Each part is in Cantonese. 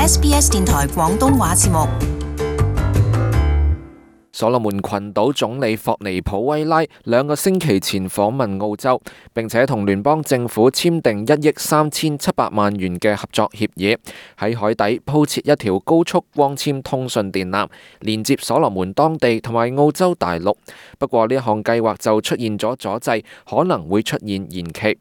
SBS 電台廣東話節目。所羅門群島總理霍尼普威拉2個星期前訪問澳洲，並且同聯邦政府簽訂1億3700萬元嘅合作協議，喺海底鋪設一條高速光纖通訊電纜，連接所羅門當地同埋澳洲大陸。不過呢項計劃就出現咗阻滯，可能會出現延期。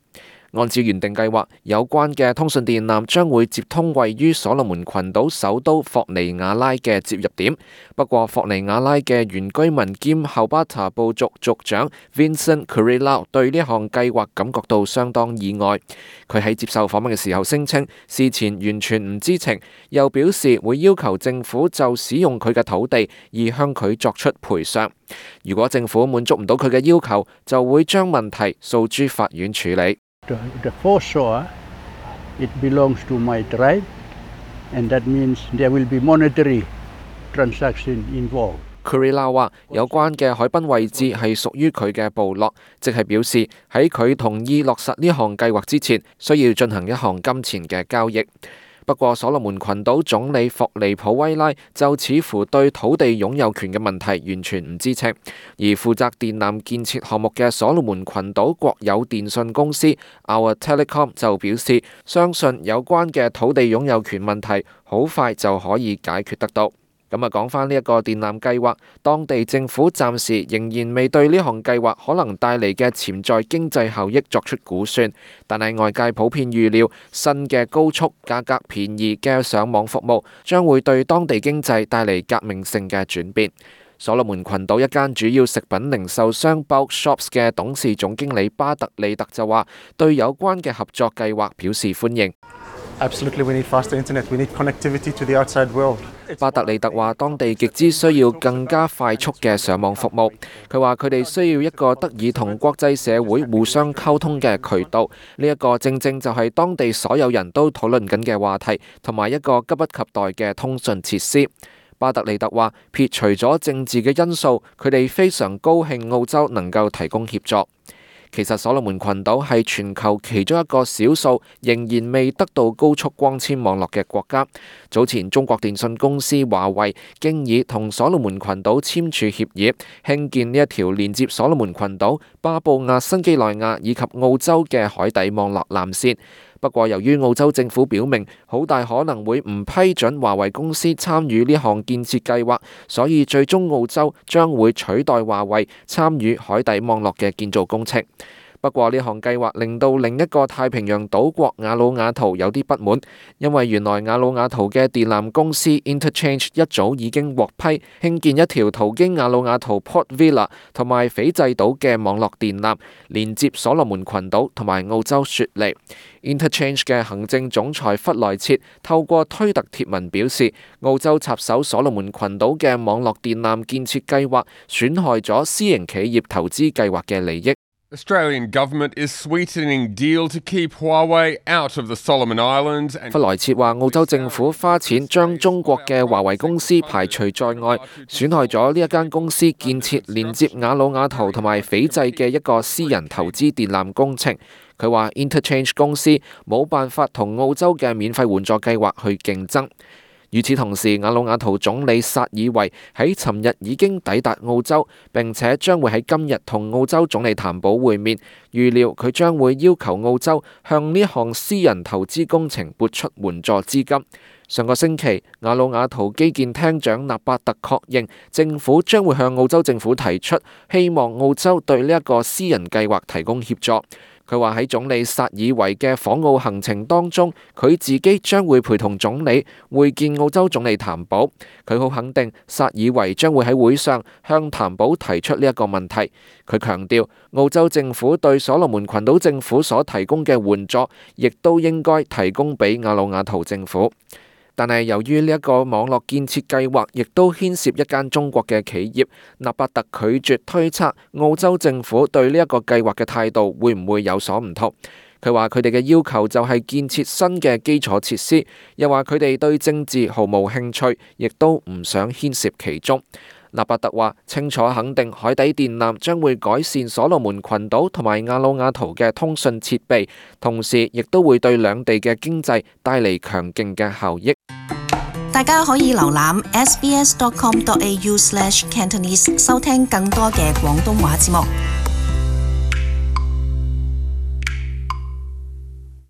按照原定計劃，有關嘅通訊電纜將會接通位於所羅門群島首都霍尼亞拉嘅接入點。不過，霍尼亞拉嘅原居民兼後巴塔部族族長 Vincent Kurilao 對呢項計劃感覺到相當意外。佢喺接受訪問嘅時候聲稱，事前完全唔知情，又表示會要求政府就使用佢嘅土地而向佢作出賠償。如果政府滿足唔到佢嘅要求，就會將問題訴諸法院處理。The foreshore, it belongs to my tribe, and that means there will be monetary transaction involved. Kurilao 話有關嘅海濱位置係屬於佢嘅部落，即係表示喺佢同意落實呢項計劃之前，需要進行一項金錢嘅交易。不過，所羅門群島總理霍尼普威拉就似乎對土地擁有權嘅問題完全唔知情，而負責電纜建設項目嘅所羅門群島國有電信公司 Our Telecom 就表示，相信有關嘅土地擁有權問題好快就可以解決得到。咁講返呢一個電纜計劃，當地政府暫時仍然未對呢項計劃可能帶嚟嘅潛在經濟效益作出估算，但係外界普遍預料新嘅高速、價格便宜嘅上網服務將會對當地經濟帶嚟革命性嘅轉變。所羅門群島一間主要食品零售商 Bulk Shops 嘅董事總經理巴特利特就話，對有關嘅合作計劃表示歡迎。Absolutely, we need faster internet. We need connectivity to the outside world. 巴特利特話，當地極之需要更加快速嘅上網服務。佢話佢哋需要一個得以同國際社會互相溝通嘅渠道。呢一個正正就係當地所有人都討論緊嘅話題，同埋一個急不及待嘅通訊設施。巴特利特話，撇除咗政治嘅因素，佢哋非常高興澳洲能夠提供協助。其實所羅門群島係全球其中一個少數仍然未得到高速光纖網絡嘅國家。早前中國電信公司華為經已同所羅門群島簽署協議，興建呢一條連接所羅門群島、巴布亞新幾內亞以及澳洲嘅海底網絡纜線。不過，由於澳洲政府表明好大可能會唔批准華為公司參與呢項建設計劃，所以最終澳洲將會取代華為參與海底網絡嘅建造工程。不過呢項計劃令到另一個太平洋島國瓦努阿圖有啲不滿，因為原來瓦努阿圖嘅電纜公司 Interchange 一早已經獲批興建一條途經瓦努阿圖 Port Vila 同埋斐濟島嘅網絡電纜，連接所羅門群島同埋澳洲雪梨。Interchange 嘅行政總裁弗萊切透過推特貼文表示，澳洲插手所羅門群島嘅網絡電纜建設計劃，損害咗私營企業投資計劃嘅利益。Australian government is sweetening deal to keep Huawei out of the Solomon Islands. 弗萊切話，澳洲政府花錢將中國嘅華為公司排除在外，損害咗呢一間公司建設連接瓦努阿圖同埋斐濟嘅一個私人投資電纜工程。佢話 Interchange 公司冇辦法同澳洲嘅免費援助計劃去競爭。與此同時，瓦努阿圖總理薩爾維喺尋日已經抵達澳洲，並且將會喺今日同澳洲總理譚寶會面。預料佢將會要求澳洲向呢項私人投資工程撥出援助資金。上個星期，瓦努阿圖基建廳長納巴特確認，政府將會向澳洲政府提出，希望澳洲對呢一個私人計劃提供協助。佢話喺總理薩爾維嘅訪澳行程當中，佢自己將會陪同總理會見澳洲總理譚寶。佢好肯定薩爾維將會喺會上向譚寶提出呢一個問題。佢強調，澳洲政府對所羅門群島政府所提供嘅援助，亦都應該提供俾瓦努阿圖政府。但係由於呢一個網絡建設計劃亦都牽涉一間中國嘅企業，納巴特拒絕推測澳洲政府對呢一個計劃嘅態度會唔會有所唔同。佢話佢哋嘅要求就係建設新嘅基礎設施，又話佢哋對政治毫無興趣，亦都唔想牽涉其中。納巴特話清楚肯定海底電纜將會改善所羅門群島同埋瓦努阿圖嘅通訊設備，同時亦都會對兩地嘅經濟帶嚟強勁嘅效益。大家可以瀏覽 sbs.com.au/Cantonese 收聽更多嘅廣東話節目。